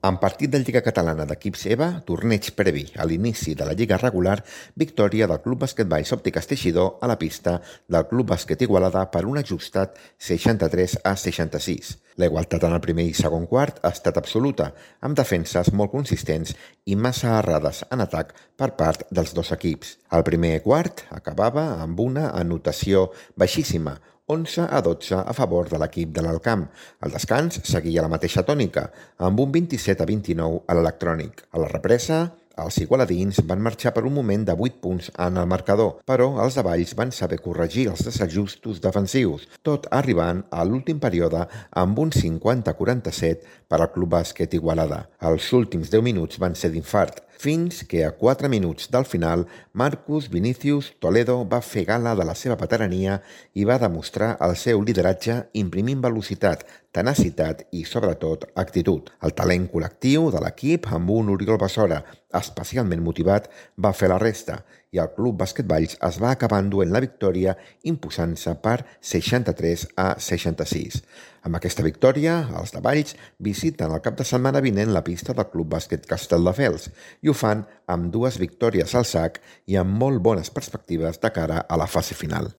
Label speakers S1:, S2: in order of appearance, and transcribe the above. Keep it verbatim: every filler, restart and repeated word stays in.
S1: En partit de Lliga Catalana d'equips EVA, torneig previ a l'inici de la Lliga regular, victòria del Club Bàsquet Valls Òptiques Teixidor a la pista del Club Bàsquet Igualada per un ajustat seixanta-tres a seixanta-sis. La igualtat en el primer i segon quart ha estat absoluta, amb defenses molt consistents i massa errades en atac per part dels dos equips. El primer quart acabava amb una anotació baixíssima, onze a dotze a favor de l'equip de l'Alcamp. El descans seguia la mateixa tònica, amb un vint-i-set a vint-i-nou a l'Electrònic. A la represa, els igualadins van marxar per un moment de vuit punts en el marcador, però els de Valls van saber corregir els desajustos defensius, tot arribant a l'últim període amb un cinquanta a quaranta-set per al Club Bàsquet Igualada. Els últims deu minuts van ser d'infart, fins que a quatre minuts del final Marcus Vinicius Toledo va fer gala de la seva veterania i va demostrar el seu lideratge imprimint velocitat, tenacitat i, sobretot, actitud. El talent col·lectiu de l'equip, amb un Oriol Besora especialment motivat, va fer la resta i el Club Bàsquet Valls es va acabar enduent la victòria imposant-se per seixanta-tres a seixanta-sis. Amb aquesta victòria, els de Valls visiten el cap de setmana vinent la pista del Club Bàsquet Castelldefels i ho fan amb dues victòries al sac i amb molt bones perspectives de cara a la fase final.